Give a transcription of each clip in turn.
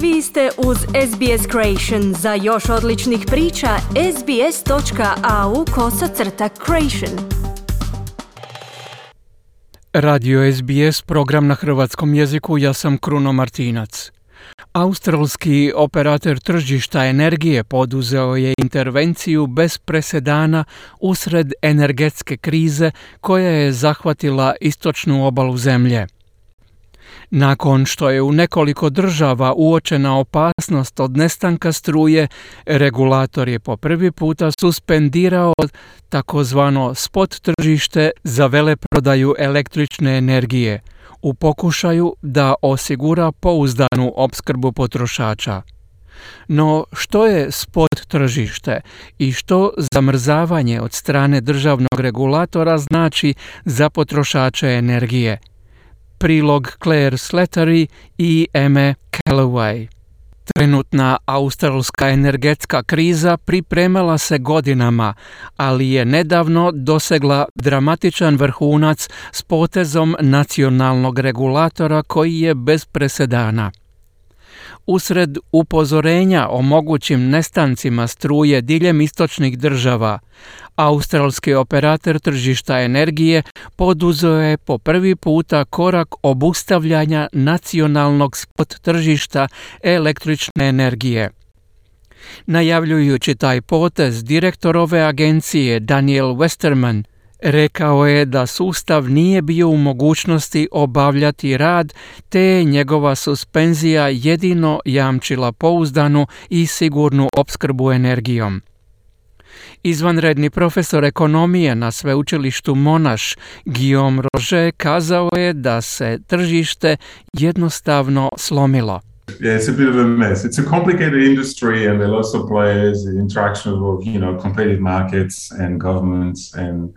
Vi ste uz SBS Creation. Za još odličnih priča, sbs.au/creation. Radio SBS, program na hrvatskom jeziku, ja sam Kruno Martinac. Australski operator tržišta energije poduzeo je intervenciju bez presedana usred energetske krize koja je zahvatila istočnu obalu zemlje. Nakon što je u nekoliko država uočena opasnost od nestanka struje, regulator je po prvi puta suspendirao takozvano spot tržište za veleprodaju električne energije u pokušaju da osigura pouzdanu opskrbu potrošača. No, što je spot tržište i što zamrzavanje od strane državnog regulatora znači za potrošače energije? Prilog Claire Slattery i Emma Calloway. Trenutna australska energetska kriza pripremala se godinama, ali je nedavno dosegla dramatičan vrhunac s potezom nacionalnog regulatora koji je bez presedana. Usred upozorenja o mogućim nestancima struje diljem istočnih država, australski operator tržišta energije poduzeo je po prvi puta korak obustavljanja nacionalnog spot tržišta električne energije. Najavljujući taj potez, direktor ove agencije Daniel Westerman rekao je da sustav nije bio u mogućnosti obavljati rad, te je njegova suspenzija jedino jamčila pouzdanu i sigurnu opskrbu energijom. Izvanredni profesor ekonomije na sveučilištu Monash, Guillaume Roger, kazao je da se tržište jednostavno slomilo. Yeah, it's a bit of a mess. It's a complicated industry and there are lots of players, the interaction of, competitive markets and governments and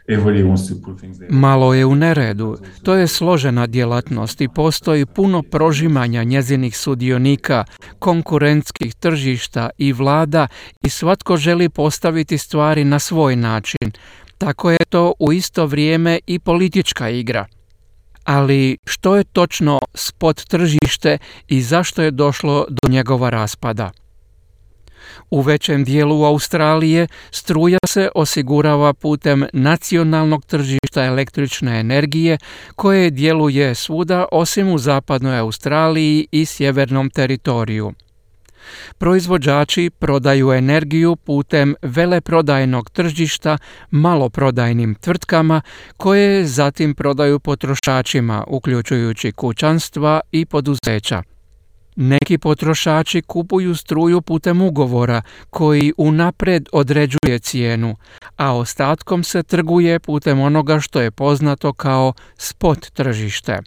everybody wants to put things there. Malo je u neredu. To je složena djelatnost i postoji puno prožimanja njezinih sudionika, konkurentskih tržišta i vlada i svatko želi postaviti stvari na svoj način. Tako je to u isto vrijeme i politička igra. Ali što je točno spot tržište i zašto je došlo do njegova raspada? U većem dijelu Australije struja se osigurava putem nacionalnog tržišta električne energije koje djeluje svuda osim u zapadnoj Australiji i sjevernom teritoriju. Proizvođači prodaju energiju putem veleprodajnog tržišta maloprodajnim tvrtkama koje zatim prodaju potrošačima, uključujući kućanstva i poduzeća. Neki potrošači kupuju struju putem ugovora koji unaprijed određuje cijenu, a ostatkom se trguje putem onoga što je poznato kao spot tržište.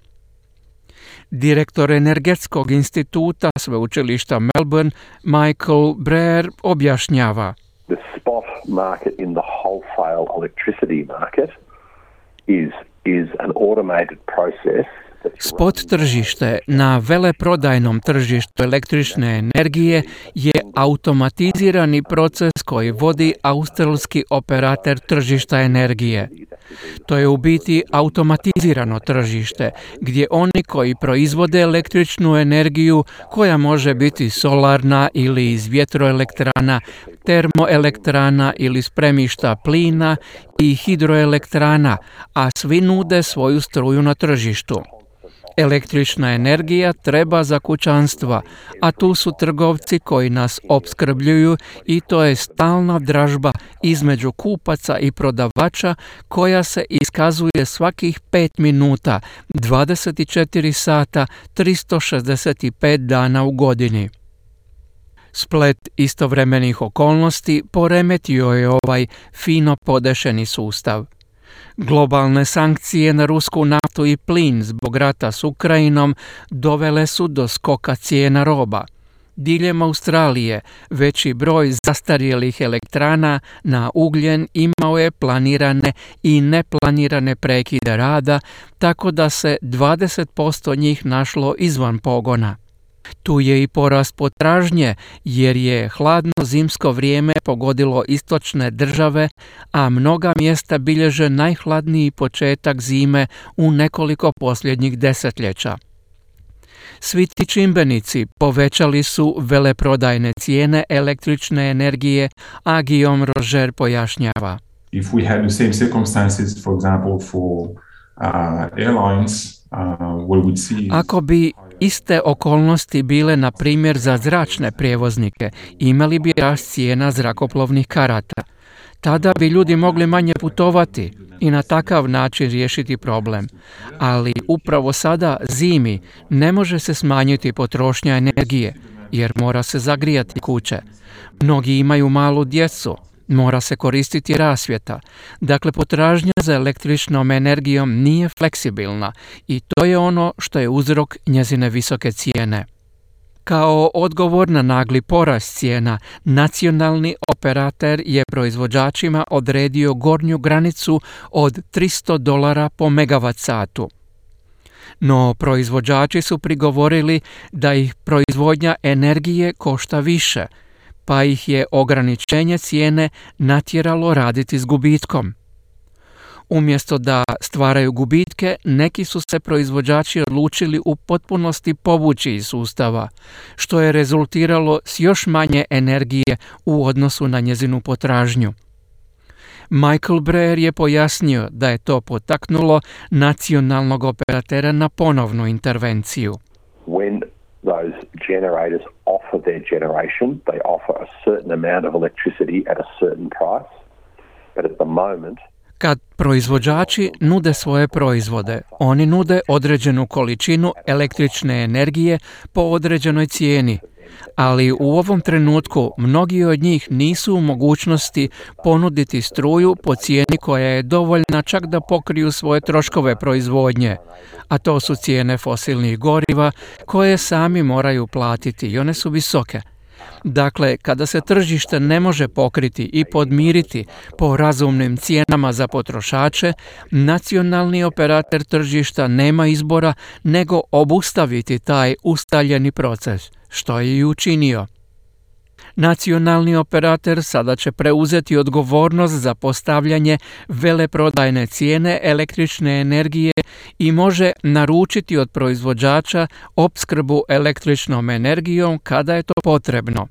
Direktor Energetskog instituta sveučilišta Melbourne, Michael Breer, objašnjava. The spot market in the wholesale electricity market is an automated process. Spot tržište na veleprodajnom tržištu električne energije je automatizirani proces koji vodi australski operator tržišta energije. To je u biti automatizirano tržište gdje oni koji proizvode električnu energiju koja može biti solarna ili iz vjetroelektrana, termoelektrana ili spremišta plina i hidroelektrana, a svi nude svoju struju na tržištu. Električna energija treba za kućanstva, a tu su trgovci koji nas opskrbljuju i to je stalna dražba između kupaca i prodavača koja se iskazuje svakih 5 minuta, 24 sata, 365 dana u godini. Splet istovremenih okolnosti poremetio je ovaj fino podešeni sustav. Globalne sankcije na rusku naftu i plin zbog rata s Ukrajinom dovele su do skoka cijena roba. Diljem Australije veći broj zastarjelih elektrana na ugljen imao je planirane i neplanirane prekide rada, tako da se 20% njih našlo izvan pogona. Tu je i porast potražnje jer je hladno zimsko vrijeme pogodilo istočne države, a mnoga mjesta bilježe najhladniji početak zime u nekoliko posljednjih desetljeća. Svi ti čimbenici povećali su veleprodajne cijene električne energije, a Guillaume Roger pojašnjava. If we had the same circumstances, for example, for airlines, what we see. Ako bi iste okolnosti bile, na primjer, za zračne prijevoznike, imali bi rast cijena zrakoplovnih karata. Tada bi ljudi mogli manje putovati i na takav način riješiti problem. Ali upravo sada, zimi, ne može se smanjiti potrošnja energije, jer mora se zagrijati kuće. Mnogi imaju malu djecu, mora se koristiti rasvjeta. Dakle, potražnja za električnom energijom nije fleksibilna i to je ono što je uzrok njezine visoke cijene. Kao odgovor na nagli porast cijena, nacionalni operater je proizvođačima odredio gornju granicu od $300 po megavat satu. No, proizvođači su prigovorili da ih proizvodnja energije košta više, pa ih je ograničenje cijene natjeralo raditi s gubitkom. Umjesto da stvaraju gubitke, neki su se proizvođači odlučili u potpunosti povući iz sustava, što je rezultiralo s još manje energije u odnosu na njezinu potražnju. Michael Breyer je pojasnio da je to potaknulo nacionalnog operatera na ponovnu intervenciju. When those generators offer their generation, they offer a certain amount of electricity at a certain price, but at the moment kad proizvođači nude svoje proizvode, oni nude određenu količinu električne energije po određenoj cijeni, ali u ovom trenutku mnogi od njih nisu u mogućnosti ponuditi struju po cijeni koja je dovoljna čak da pokriju svoje troškove proizvodnje, a to su cijene fosilnih goriva koje sami moraju platiti i one su visoke. Dakle, kada se tržište ne može pokriti i podmiriti po razumnim cijenama za potrošače, nacionalni operator tržišta nema izbora nego obustaviti taj ustaljeni proces, što je i učinio. Nacionalni operator sada će preuzeti odgovornost za postavljanje veleprodajne cijene električne energije i može naručiti od proizvođača opskrbu električnom energijom kada je to potrebno.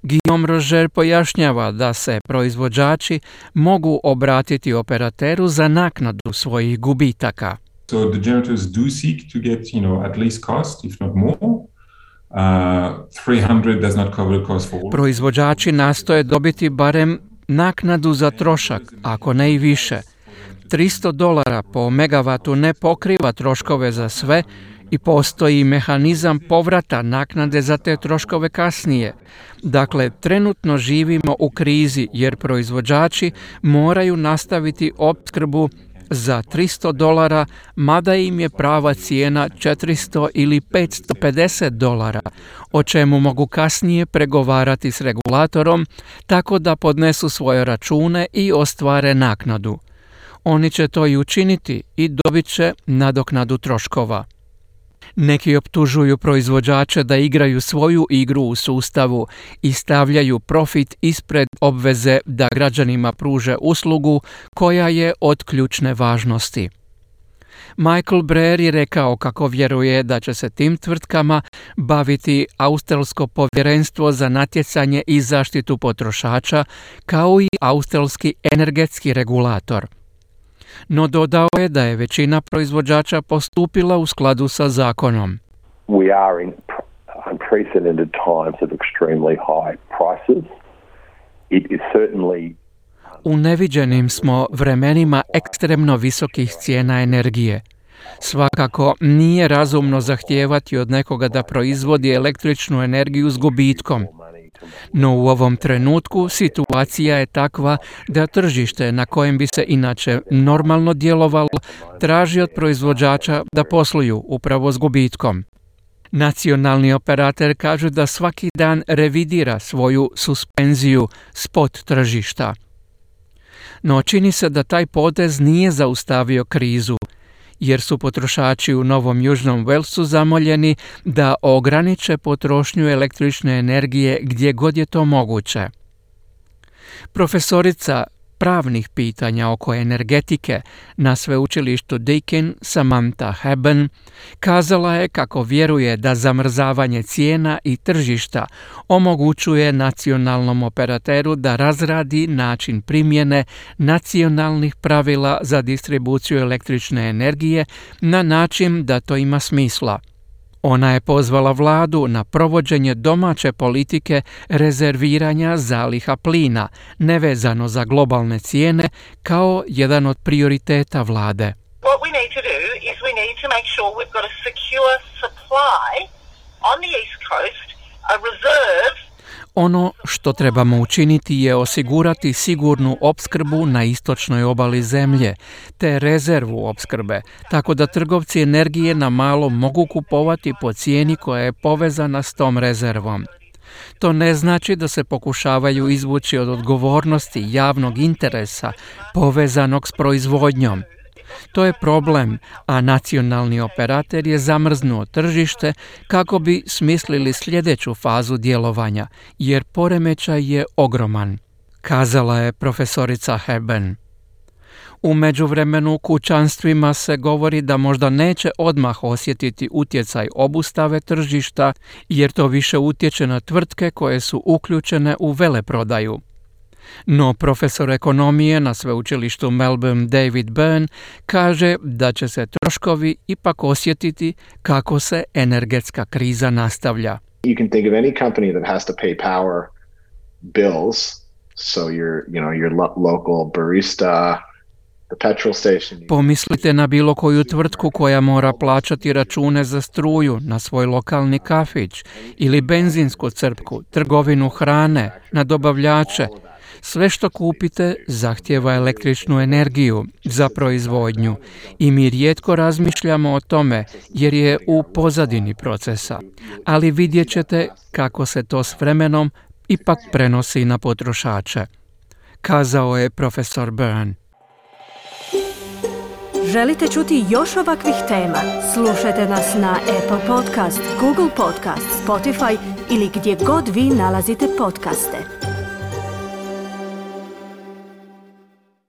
Guillaume Roger pojašnjava da se proizvođači mogu obratiti operateru za naknadu svojih gubitaka. So the generators do seek to get, at least cost, if not more. 300 does not cover the cost for all. Proizvođači nastoje dobiti barem naknadu za trošak, ako ne i više. $300 po megavatu ne pokriva troškove za sve i postoji mehanizam povrata naknade za te troškove kasnije. Dakle, trenutno živimo u krizi jer proizvođači moraju nastaviti opskrbu za $300, mada im je prava cijena $400 ili $550, o čemu mogu kasnije pregovarati s regulatorom tako da podnesu svoje račune i ostvare naknadu. Oni će to i učiniti i dobit će nadoknadu troškova. Neki optužuju proizvođače da igraju svoju igru u sustavu i stavljaju profit ispred obveze da građanima pruže uslugu koja je od ključne važnosti. Michael Breyer je rekao kako vjeruje da će se tim tvrtkama baviti Australsko povjerenstvo za natjecanje i zaštitu potrošača, kao i Australski energetski regulator. No dodao je da je većina proizvođača postupila u skladu sa zakonom. We are in unprecedented times of extremely high prices. It is certainly U neviđenim smo vremenima ekstremno visokih cijena energije. Svakako nije razumno zahtijevati od nekoga da proizvodi električnu energiju s gubitkom. No u ovom trenutku situacija je takva da tržište na kojem bi se inače normalno djelovalo traži od proizvođača da posluju upravo s gubitkom. Nacionalni operator kaže da svaki dan revidira svoju suspenziju spot tržišta. No čini se da taj potez nije zaustavio krizu, jer su potrošači u Novom Južnom Walesu zamoljeni da ograniče potrošnju električne energije gdje god je to moguće. Profesorica pravnih pitanja oko energetike na sveučilištu Deakin, Samantha Haben, kazala je kako vjeruje da zamrzavanje cijena i tržišta omogućuje nacionalnom operateru da razradi način primjene nacionalnih pravila za distribuciju električne energije na način da to ima smisla. Ona je pozvala vladu na provođenje domaće politike rezerviranja zaliha plina, nevezano za globalne cijene, kao jedan od prioriteta vlade. What we need to do is we need to make sure we've got a secure supply on the East Coast, a reserve. Ono što trebamo učiniti je osigurati sigurnu opskrbu na istočnoj obali zemlje, te rezervu opskrbe, tako da trgovci energije na malo mogu kupovati po cijeni koja je povezana s tom rezervom. To ne znači da se pokušavaju izvući od odgovornosti javnog interesa povezanog s proizvodnjom. To je problem, a nacionalni operater je zamrznuo tržište kako bi smislili sljedeću fazu djelovanja, jer poremećaj je ogroman, kazala je profesorica Haben. U međuvremenu kućanstvima se govori da možda neće odmah osjetiti utjecaj obustave tržišta, jer to više utječe na tvrtke koje su uključene u veleprodaju. No profesor ekonomije na sveučilištu Melbourne David Byrne kaže da će se troškovi ipak osjetiti kako se energetska kriza nastavlja. You can think of any company that has to pay power bills, so your local barista, the petrol station. Pomislite na bilo koju tvrtku koja mora plaćati račune za struju, na svoj lokalni kafić ili benzinsku crpku, trgovinu hrane, na dobavljače. Sve što kupite zahtijeva električnu energiju za proizvodnju i mi rijetko razmišljamo o tome jer je u pozadini procesa, ali vidjet ćete kako se to s vremenom ipak prenosi na potrošače, kazao je profesor Byrne. Želite čuti još ovakvih tema? Slušajte nas na Apple Podcast, Google Podcast, Spotify ili gdje god vi nalazite podcaste.